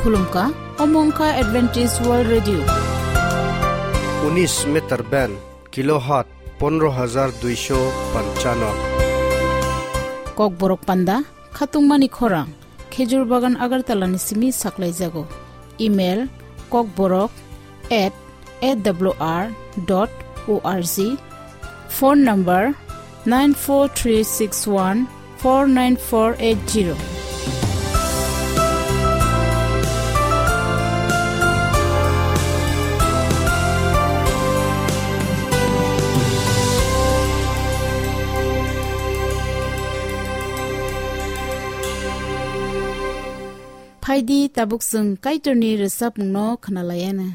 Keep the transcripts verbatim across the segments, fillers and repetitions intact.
Khulumkha, omo wngkha Adventist World Radio. Unis meter band, kilohertz pondro hajar duisho panchano. Kokborok panda, khatungmani khorang, Khejur Bagan Agartala ni simi saklaijago. Email, kokborok at A W R dot O R G. Phone number nine four three six one four nine four eight zero. Phaidi tabuk chwng Kaitorni rwchapmungno khwnalaiana.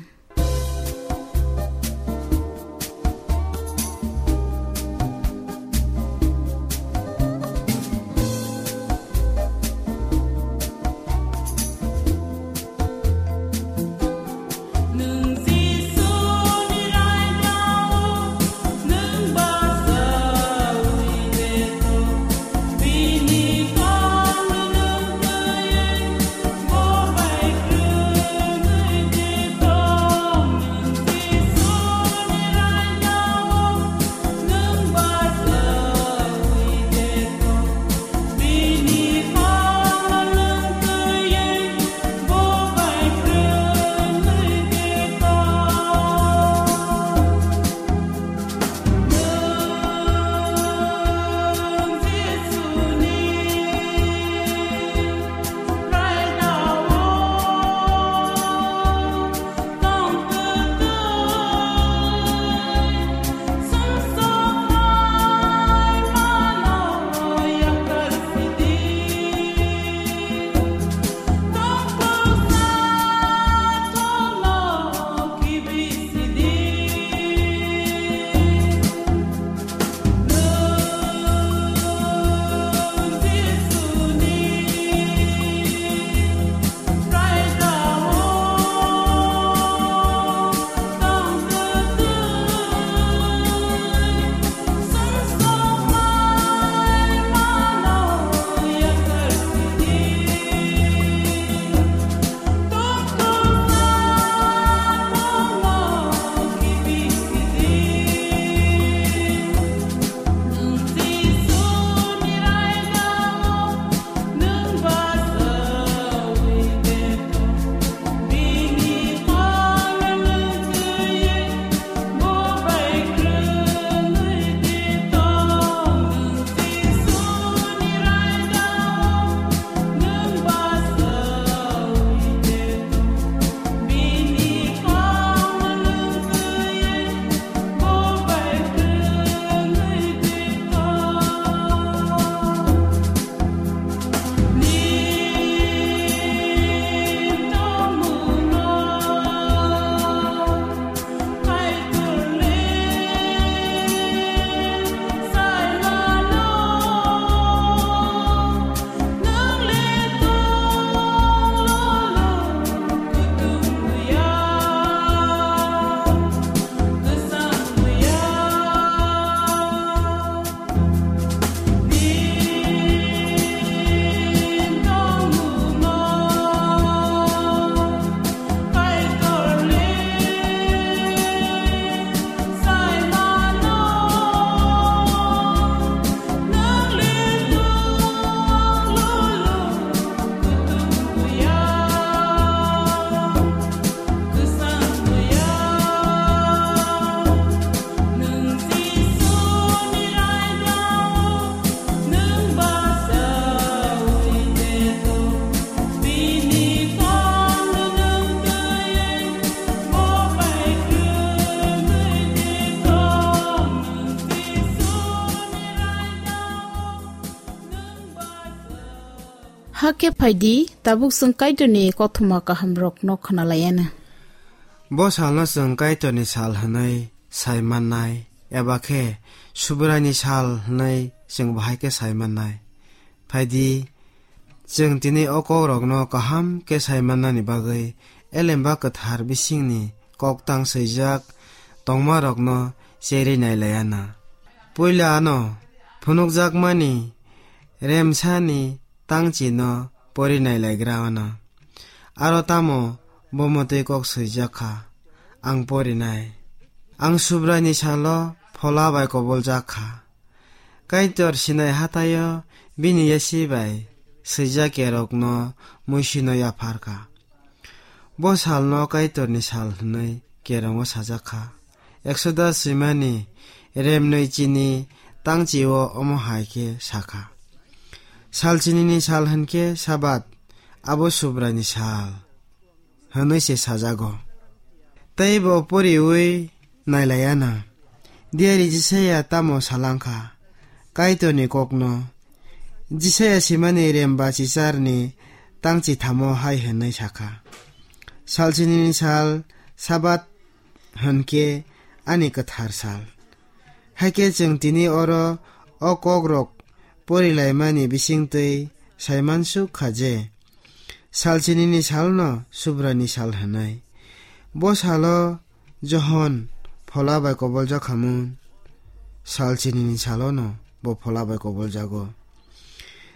Hakhe phaidi, tabuk chwng Kaitorni kothoma kahamrokno khwnalaiana. Bo salno chwng Kaitorni sal hwnwi sai mannai, eba khe Subraini sal hwnwi chwng bahai khe sai mannai. Phaidi, chwng tini o kokrokno kaham khe sai mannani bagwi Elemba Kwthar bisingni koktang swijak tongmarokno cherwi nailaiana. Puila ano phunukjakmani remsani tangchino pori nailaigra ano. aro tamo bo mwtwi kok swijak kha, ang porinai. Ang Subraini salo phola bai koboljak kha. Kaitor Sinai hathaio bini yasi bai swijak kerokno muisino yaphar kha. Bo salno Kaitorni sal hwnwi kerongo sajak kha. Exodus swimani remnwi chini tangchio omo hai khe sakha: Sal chinini sal hwn khe Sabat, abo Subraini sal hwnwi se sajago. Tei bo poriwi nailaiana. Diari Jisaya tamo salang kha Kaitorni kokno? Jisaya simani remba chicharni tangchithamo hai hwnwi sakha: Sal chinini sal Sabat hwn khe ani kwthar sal. Hakhe chwng tini oro o kokrok porilaimani bisingtwi saimansuk kha je, sal chinini salno Subraini sal hwnwi. Bo salo Johon phola bai koboljak khamun, sal chinini salono bo phola bai koboljago.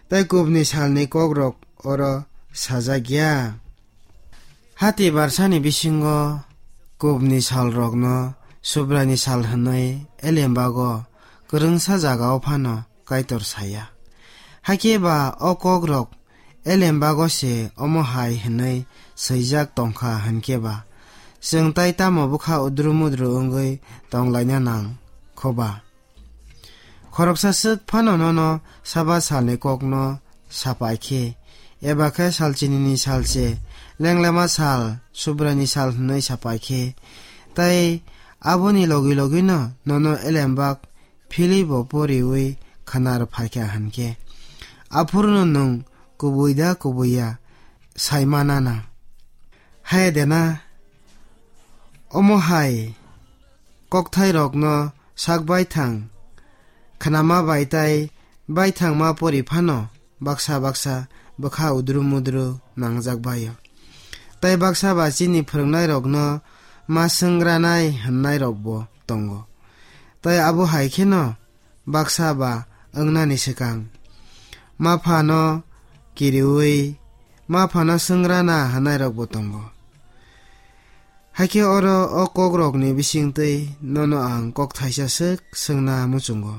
Tei kubni salni kokrok oro sajak ya. Hati barsani bisingo kubni salrokno Subraini sal hwnwi elembago kwrwngsa jagao phano Kaitor saya. Hakhe ba o kokrok elembago se omo hai hwnwi swijak tongkha hwnkhe ba, chwng tai tamo bwkha udru mudru wngwi tonglaina nang kho ba? Khoroksa swk phano nono Sabat salni kokno sapai khe, eba khe sal chinini sal se, lenglama sal, Subraini sal hwnwi sapai khe, tei aboni logi logino nono elembak philwi bo poriwi khwna rw phai kha hwn khe, aphuru no nwng kubui da kubui ya sai manana. Hai de na, omo hai kokthairokno sak baithang khnama bai tai baithangma pori phano baksa baksa bwkha udru mudru nangjak bai-o. Tei baksa ba chini phwrwngnairokno ma swngranai hwnnairokbo tongo. Tei abo hai kheno baksa ba wngnani swkang ma phano kiriui ma phano swngranai hwnnairokbo tongo. Hakhe oro o kokrokni bisingtwi nono ang kok thaisa swk swngna muchungo.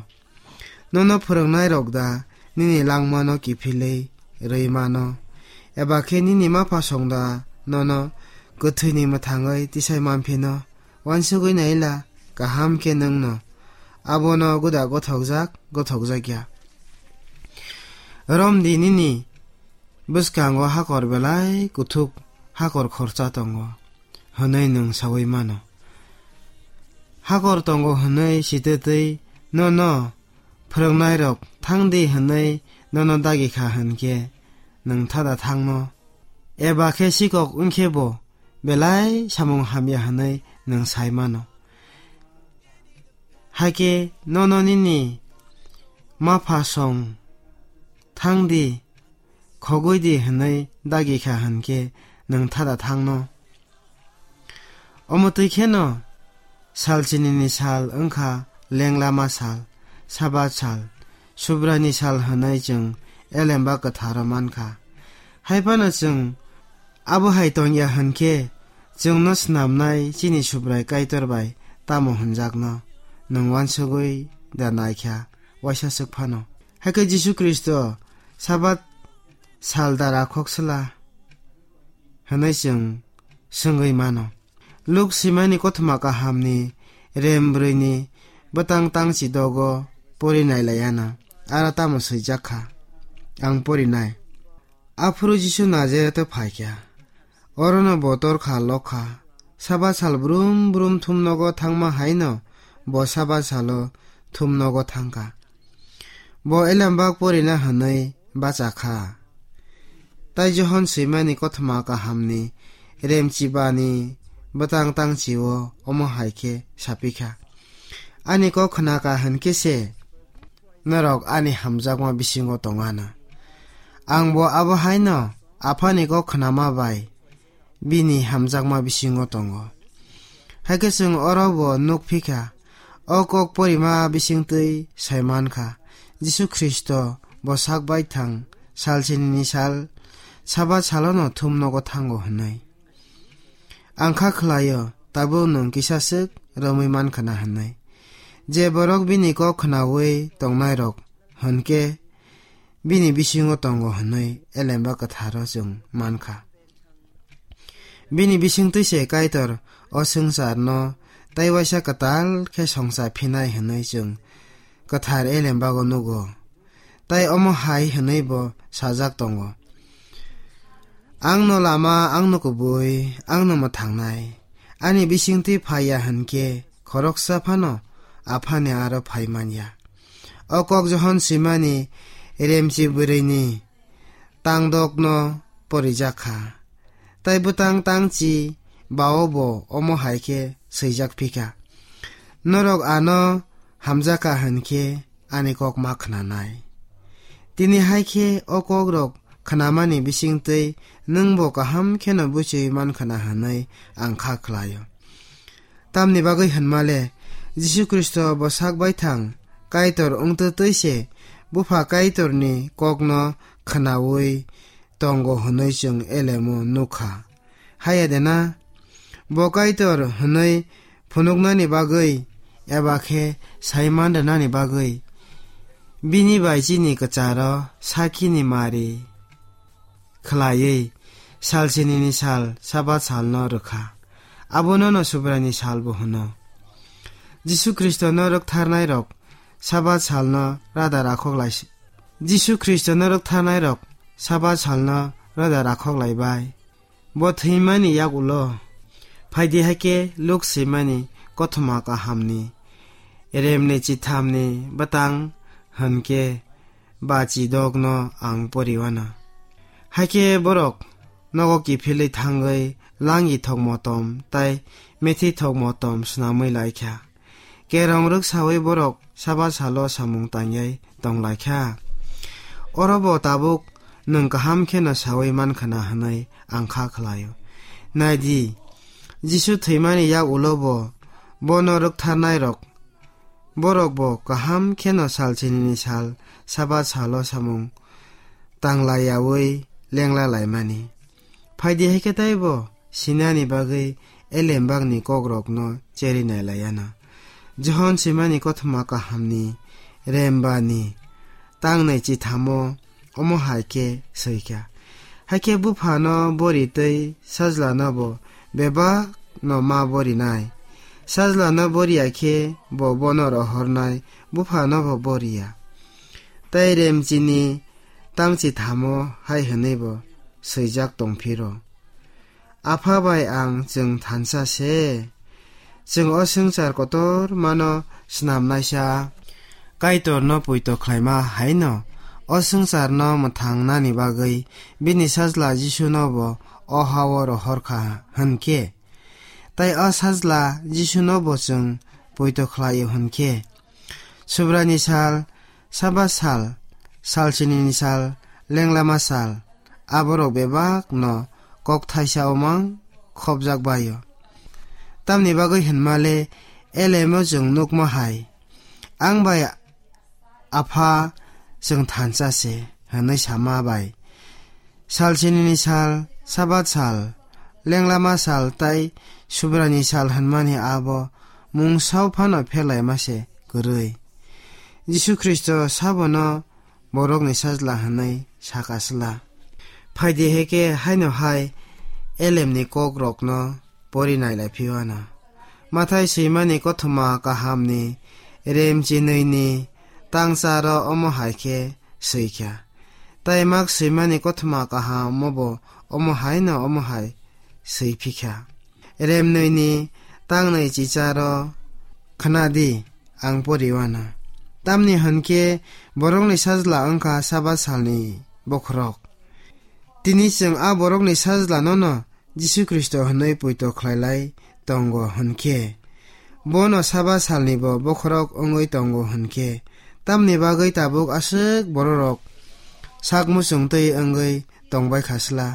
Nono phwrwngnairok da nini langmano kiphilwi rwi mano? Eba khe nini maphasong da nono kwthwini mwthangwi tisai manphino? Uansugwi naila kaham khe nwngno abono gwda gothokjak gothokjak ya. Romdi nini bwskango hakor belai kuthuk, hakor khoroksa tongo hwnwi nwng saui mano. Hakor tongo hwnwi sitwtwi nono phwrwngnairok thangdi hwnwi nono dagi kha hwn khe nwng thada thangno, eba khe sikok wng khe bo belai samung hamya hwnwi nwng sai mano. Hakhe nono nini maphasong thangdi, khogwi di hwnwi dagi kha hwn khe nwng thada thangno. Omo twi kheno sal chinini sal wngkha lenglama sal, Sabat sal, Subraini sal hwnwi chwng elemba kwtharo mankha. Hai phano chwng abo hai tongya hwn khe chwngno snamnai chini Subrai Kaitor bai tamo hwnjakno nwng uansugwi da naikha waisa swk phano? Hakhe Jisu Khristo Sabat sal da rakhok sla hwnwi chwng swngwi mano. Luk swimani kothoma kahamni rem brwini bwtang tangchi dogo pori nailaiana, aro tamo swijak kha, ang porinai. Aphuru Jisu Nazaretho phaikha, orono bo torkha lokha. Sabat sal brum brum thumnogo thangma haino bo Sabat salo thumnogo thangkha. Bo elembak porina hwnwi bacha kha. Tai Johon swimani kothoma kahamni remchibani bwtang tangchio omo hai khe sapikha: Ani kok khnaka hwn khe se norok ani hamjakma bisingo tongana. Ang bo abo haino Aphani kok khnama bai bini hamjakma bisingo tongo. Hakhe chwng oro bo nuk phikha, o kok porima bisingtwi sai mankha, Jisu Khristo bo sak baithang sal sinini sal Sabat salono thum nogo thango hwnwi. Ang kha khlaio, tabuk nwng kisa swk romwi man khna hwnwi. Je borok bini kok khnaui tongnairok hwnkhe bini bisingo tongo hwnwi Elemba Kwtharo chwng man kha. Bini bisingtwi se Kaitor o swngcharno tei waisa kwtal khe songcha phinai hwnwi chwng kwthar Elembago nugo. Tai omo hai hwnwi bo sajak tongo, "Ang no lama, ang no kubui, ang no mwthangnai. Ani bisingtwi phai ya hwn khe khoroksa phano Aphani aro phai man ya." O kok Johon swimani remchi bwrwini tangdokno porijak kha. Tai bwtang tangchi bao bo omo hai khe swijak phi kha, "Norok ano hamjak kha hwn khe ani kok ma khnanai." Tini hai khe o kokrok khnamani bisingtwi nwng bo kaham kheno buchwi man khna hwnwi ang kha khlaio. Tamni bagwi hwnmale, Jisu Khristo bo sak baithang Kaitor wngtwi twi se Bupha Kaitorni kokno khnaui tongo hwnwi chwng elemo nukha. Haya de na? Bo Kaitor hwnwi phunuknani bagwi eba khe sai man rwnani bagwi bini bai chini kwcharo sakhini mari khlaiwi sal sinini sal Sabat salno rwkha. Abono no Subraini salbo hwno. Jisu Khristono rwktharnairok Sabat salno rada rakhok lai si-, Jisu Khristono rwktharnairok Sabat salno rada rakhok lai bai. Bo thwimani yak ulo phaidi hai khe Luk swimani kothoma kahamni remni chithamni bwtang hwn khe bachi dogno ang poriwana. Haikhe borok nogo kiphilwi thangwi langi thok motom tai methi thok motom swnamwi laikha. Kerong rwksawi borok Sabat salo samung tangyai tonglaikha. Oro bo tabuk nwng kaham kheno sawi mankhana hwnwi ang kha khlaio. Naidi, Jisu thwimani yak ulo bo bono rwktharnairok Borok bo kaham kheno sal sinini sal Sabat salo samung tanglaiyaui lengla laimani. Phaidi hai khe taibo sinani bagwi elembakni kokrokno cheri nailaiyana. Johon swimani kothoma kahamni rembani tangnai chithamo omo hai khe swi kha. Hai khe buphano bori tei sajlano bo bebak no ma borinai. Sajlano boriya khe bo bono rohornai, buphano bo boriya. Tei remchini tangchi thamo hai hwnwi bo swijak tongphiro. Apha bai ang chwng thansa se. Chwng o swngchar kotor mano snamnaisa Kaitorno poito khlaima haino o swngcharno mwthangnani bagwi bini sajla Jisuno bo o ha-o rohor kha hwn khe, tei o sajla Jisuno bo chwng poito khlai-o hwn khe, Subraini sal, Sabat sal, sal sinini sal, lenglama sal, aborok bebak no kok thaisa omang khopjak bai-o. Tamni bagwi hwnmale elemo chwng nukma hai, ang bai Apha chwng thansa se hwnwi sama bai. Sal sinini sal, Sabat sal, lenglama sal tai Subraini sal hwnmani abo mungsao phano phelaima se kwrwi. Jisu Khristo sabono borokni sajla hwnwi saka sla. Phaidi hai khe haino hai elemni kokrokno pori nailai phiwana. Mathai swimani kothoma kahamni remchinwini tangcharo omo hai khe swi kha. Tai Mak swimani kothoma kahamo bo omo haino omo hai swi phi kha. Remnwini tangnwi chicharo khna di, ang poriwana. Tamni hwn khe borokni sajla wng kha Sabat salni bokhorok. Tini chwng a borokni sajlano no Jisu Khristo hwnwi poito khlailai tongo hwn khe, bono Sabat salni bo bokhorok wngwi tongo hwn khe, tamni bagwi tabuk aswk bororok sak muchung twi wngwi tongbai kha sla?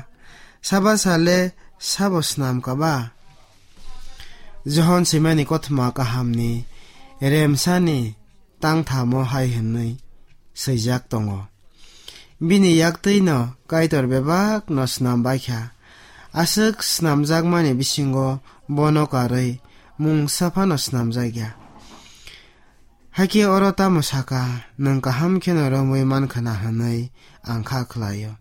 Sabat sal le sabo snam ka ba? Johon swimani kothoma kahamni remsani tangthamo hai hwnwi swijak tongo. Bini yaktwino Kaitor bebakno snam baikha. Aswk snamjakmani bisingo bono karwi mungsa phano snamjakya. Hakhe oro tamo saka, "Nwng kaham kheno romwi mankha na," hwnwi ang kha khlaio.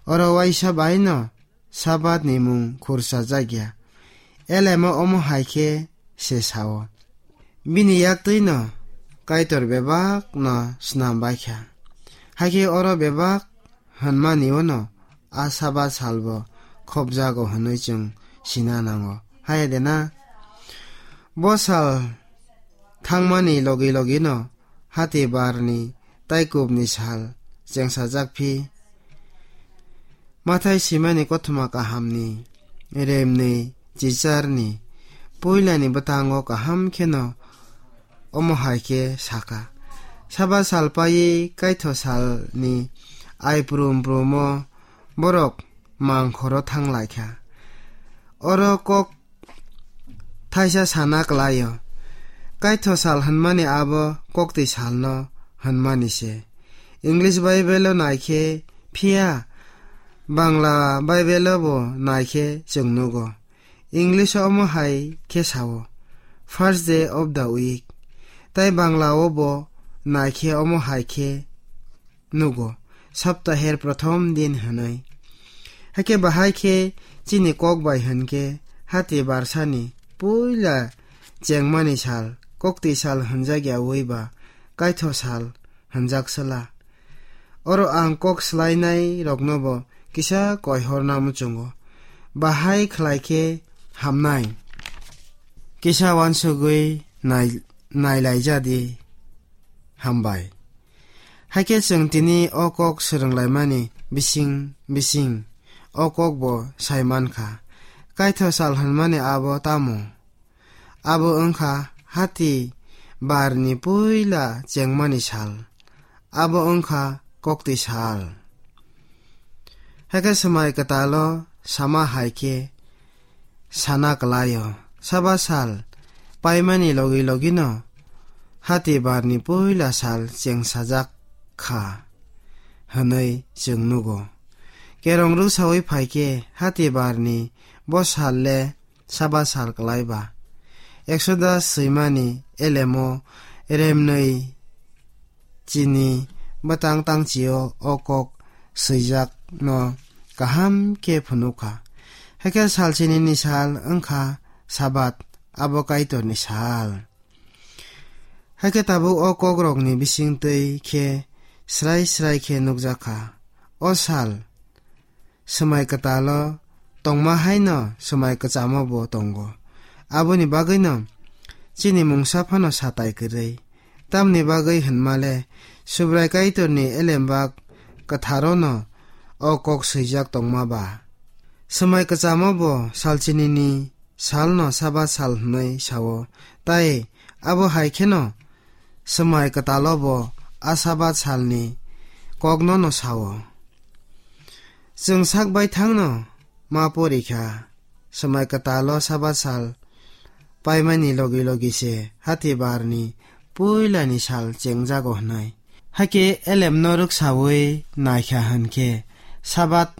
Oro uaisa baino Sabatni mung khursajakya. Elemo omo hai khe se sao. Bini yaktwino Kaitor bebakno snam baikha. Hakhe oro bebak hwnmani uano a Sabat salbo khopjago hwnwi chwng sina nango. Haya de na? Bo sal thangmani logi logino hati barni tei kubni sal chengsajak phi. Mathai simani kothoma kahamni, remni, chicharni, puilani bwtango kaham kheno omo hai khe saka: Sabat sal paiwi kaitho salni ai prum prumo borok mangkhoro thang lai kha. Oro kok thaisa sana kwlaio. Kaitho sal hwnmani abo koktwi salno hwnmani se. English Bible-o nai khe, phiya Bangla Bible-o bo nai khe chwng nugo. English-o omo hai khe sao, "First day of the week." Tai Bangla-o bo nai khe omo hai khe nugo, "Saptaher prothom din" hwnwi. Hakhe bahai khe chini kok bai hwn khe hati barsani puila chengmani sal, koktwi sal hwnjakya wi ba kaitho sal hwnjak sala. Oro ang kok swlainai rokno bo kisa koihorna muchungo. Bahai khlai khe hamnai. Kisa uansugwi nai-, nailaijadi. Hambai. Hakhe chwng tini o kok swrwnglaimani bising bising o kok bo sai mankha. Kaitho sal hwnmani abo tamo? Abo wngkha hati barni puila chengmani sal. Abo wngkha koktwi sal. Hakhe Swmai Kwtalo sama hai khe sana kwlaio, Sabat sal paimani logi logino hati barni puila sal chengsajak kha hwnwi chwng nugo. Kerong rwksaui phai khe hati barni bo sal le Sabat sal kwlai ba. Exodus swimani elemo remnwi chini bwtang tangchio o kok swijak no kaham khe phunuk kha. Hakhe sal chinini sal wngkha Sabat, abo Kaitorni sal. Hakhe tabuk o kokrokni bisingtwi khe srai srai khe nukjak kha. O sal Swmai Kwtalo tongma haino Swmai Kwchamo bo tongo. Aboni bagwino chini mungsa phano satai kwrwi. Tamni bagwi hwnmale Subrai Kaitorni elembak kwtharono o kok swijak tongma ba. Swmai Kwchamo bo sal chinini salno Sabat sal hwnwi sao, tai abo hai kheno Swmai Kwtalo bo a Sabat salni kokno no sao. Chwng sak baithangno ma pori kha, Swmai Kwtalo Sabat sal paimani logi logi se hati barni puilani sal chengjago hwnwi. Hakhe elemno rwksaui naikha hwn khe Sabat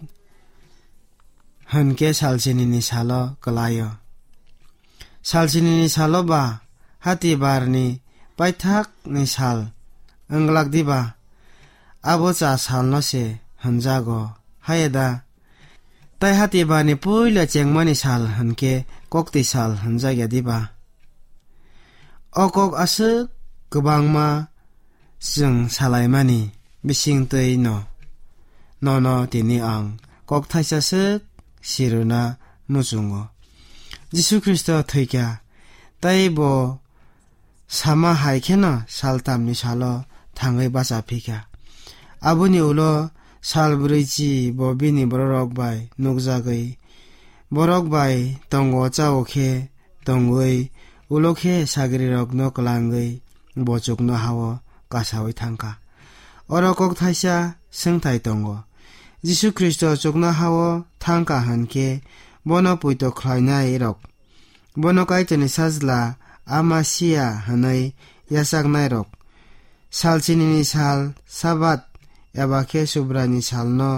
hwn khe sal chinini salo kwlaio. Sal chinini salo ba hati barni paithakni sal wng glak diba? Abo cha salno se hwnjago, haiya da? Tai hati barni puila chengmani sal hwn khe koktwi sal hwnjakya diba? O kok aswk kwbangma chwng salaimani bisingtwi no, nono tini ang kok thaisa swk sirwna muchungo. Jisu Khristo thwikha, tei bo sama hai kheno saltamni salo thangwi bacha phikha. Aboni ulo sal brwichi bo bini bororok bai nukjagwi, borok bai tongo chao khe tongwi, ulo khe sagrirokno kwlangwi bo chuknoha-o kasaui thangkha. Oro kok thaisa swngthai tongo. Jisu Khristo chuknoha-o thangkha hwn khe bono poito khlainairok, bono Kaitorni Sajla, a Masia hwnwi yachaknairok, sal chinini sal Sabat eba khe Subraini salno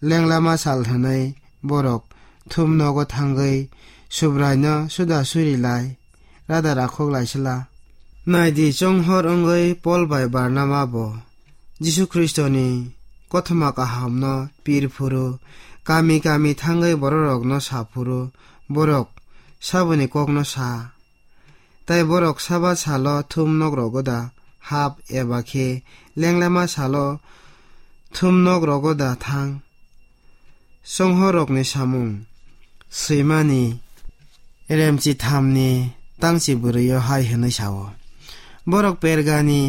lenglama sal hwnwi borok thum nogo thangwi Subraino suda suri lai rada rakhok lai sla. Nai di, chonghor wngwi Pol bai Barnaba bo Jisu Khristoni kothoma kahamno pir phuru kami kami thangwi bororokno sa phuru borok saboni kokno sa. Tai borok Sabat salo thum nok rogo da hap eba khe lenglama salo thum nok rogo da thang? Chonghorrokni samung swimani Remchi thamni tangchi bwrwio hai hwnwi sao: Borok Pergani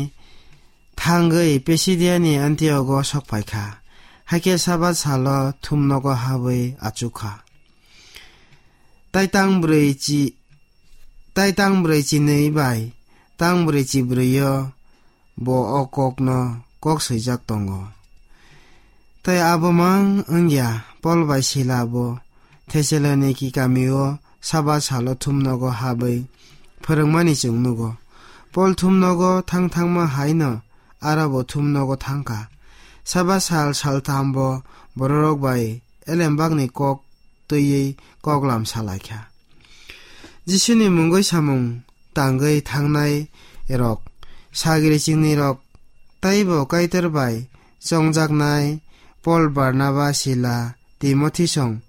thangwi Pisidiani Antiogo sok phai kha, hakhe Sabat salo thum nogo habwi achuk kha. Tai tang brwi chi-, tai tang brwi chinwi bai tang brwi chibrwio bo o kokno kok swijak tongo. Tai abo mang wngya, Pol bai Sila bo Thessaloniki kamio Sabat salo thum nogo habwi phwrwngmani chwng nugo. Pol thum nogo thang thangma haino aro bo thum nogo thang kha. Sabat sal saltham bo bororok bai elembakni kok twiwi koklam sa lai kha. Jisuni mungwi samung tangwi thangnai rok, sagri chini rok, taibo Kaitor bai chongjaknai Pol, Barnaba, Sila, Timothi song,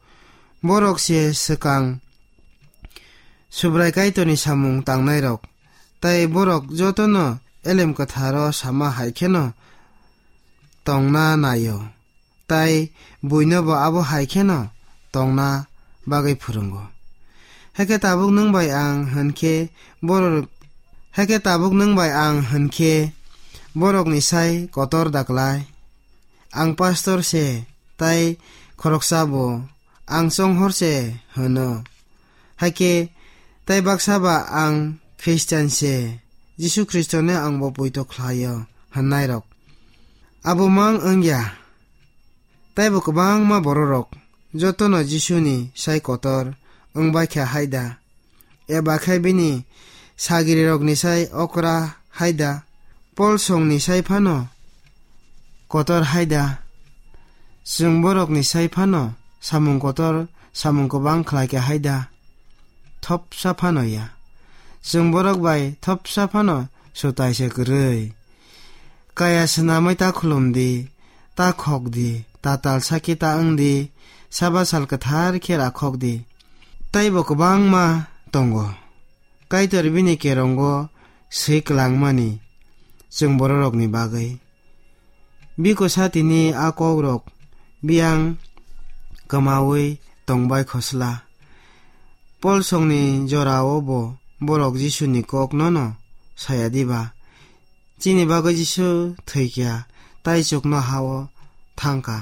borok se swkang Subrai Kaitorni samung tangnai rok, tai borok jotono elem kwtharo sama hai kheno tongna naio. Tai buino bo abo hai kheno tongna bagwi phwrwngo. Hakhe tabuk nwng bai ang hwn khe borok, hakhe tabuk nwng bai ang hwn khe borokni sai kotor da klai? Ang pastor se, tai khoroksa bo ang chonghor se hwno. Hakhe tai baksa ba ang Khristian se, Jisu Khristoni ang bo poito khlaio hwnnai rok. Abo mang wngya. Taibo kwbangma bororok jotono Jisuni sai kotor wngbai kha hai da? Eba khe bini sagrirokni sai okra hai da? Pol songni sai phano kotor hai da? Chwng borokni sai phano samung kotor, samung kwbang khlai kha hai da? Thopsa phano ya. Chwng borok bai thopsa phano swtai se kwrwi. Kaya swnamwi ta khulum di, ta khok di, ta tal sakhe ta wng di, Sabat sal kwthar khe rakhok di. Taibo kwbangma tongo Kaitor bini kerongo swi klangmani chwng bororokni bagwi. Bikosa tini a kokrok biyang kwmawi tongbai khosla. Pol songni jorao bo borok Jisuni kok nono saya diba? Chini bagwi Jisu thwi kha, tai chuknohao thang kha.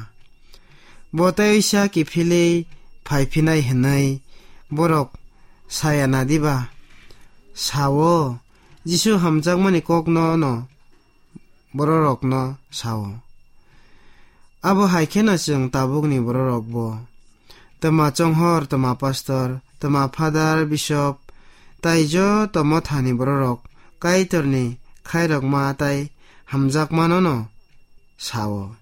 Bo tei uisa kiphilwi phai phinai hwnwi borok saya na diba? Sao, Jisu hamjakmani kokno no bororokno sao. Abo hai kheno chwng tabukni bororokbo, twma chonghor, twma pastor, twma father, bishop, tai joto mothani bororok Kaitorni khairokma tai hamjakmanono sao.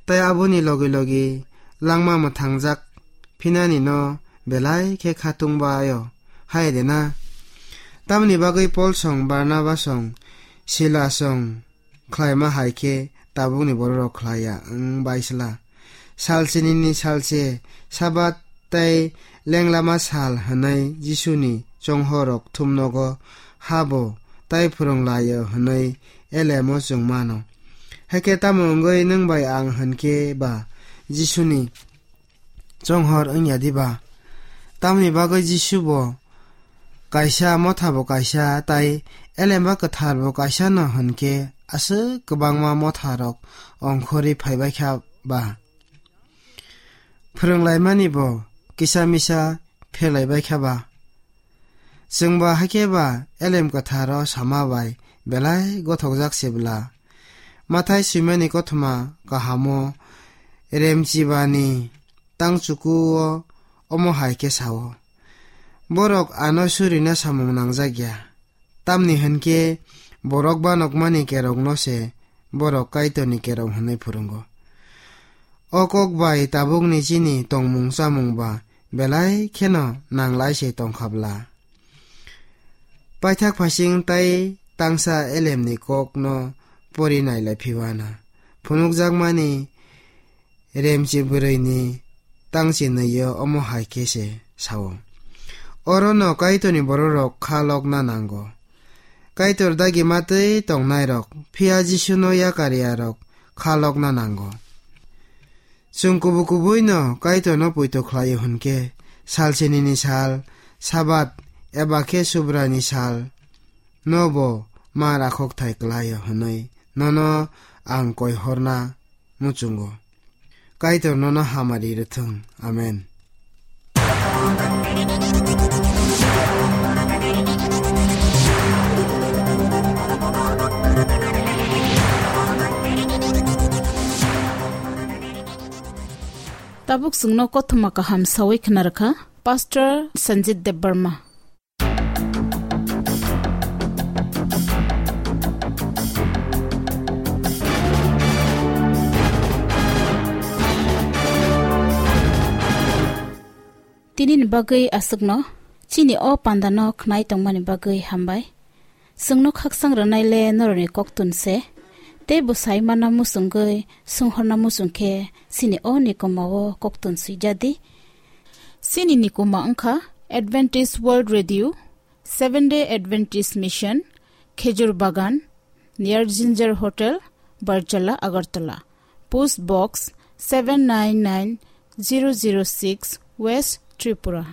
Tai aboni logi logi langma mwthangjak phinani no belai khe khatung bai-o, hai de na? Tamoni bagwi Pol song, Barnaba song, Sila song khlaima hai khe tabukni bororok khlai ya wng bai sla. Sal sinini sal se Sabat tei lenglama sal hwnwi Jisuni chonghorrok thumnogo habo tai phwrwng lai-o hwnwi elemo chwng mano. Hakhe tamo wngwi nwng bai ang hwn khe ba Jisuni chonghor wng ya diba? Tamoni bagwi Jisu bo kaisa, motha bo kaisa, tai elemba kwthar bo kaisa no hwn khe aswk kwbangma motha rok ongkhorwi phaibai kha ba? Phwrwnglaimani bo kisa misa pherlaibai kha ba? Chwng ba hakhe ba elem kwtharo sama bai belai gothokjak se bwla. Mathai swimani kothoma kahamo Remchibani tangchukuo omo hai khe sao: Borok ano surina samung nangjak ya, tamni hwn khe borok banokmani kerongno se borok Kaitorni kerong hwnwi phwrwngo. O kok bai tabukni chini tongmung chamung ba belai kheno nanglai se tongkha bla. Paithak phasing tai tangsa elemni kokno pori nailai phiwana. Phunukjakmani Remchi bwrwini tangchi nwiyo omo hai khe se sao. Orono Kaitorni bororok kha lokna nango. Kaitor dagi matwi tongnairok phiya Jisuno yakariyarok kha lokna nango. Chwng kubu kubuino Kaitorno poito khlaio hwnkhe, sal sinini sal, Sabat, eba khe Subraini sal, nobo ma rakhok thai klaio hwnwi nono ang koi horna muchungo. Kaitor nono hamari rwthwng. Amen. Tabuk chwngno kothoma kaham sawi khna rwkha Pastor Sanjit Debbarma. Tinini bagwi aswkno, chini o pandano khnai tongmani bagwi hambai. Chwngno khaksang rwnaile norokni koktun se, tei bwsai mana muchungwi, swnghorna muchung khe chini o nikoma o koktun swijadi. Chini nikoma wngkha Adventist World Radio, Seven Day Adventist Mission, Khejur Bagan, near Ginger Hotel, Barjala, Agartala. Post Box seven nine nine zero zero six, West Tripura.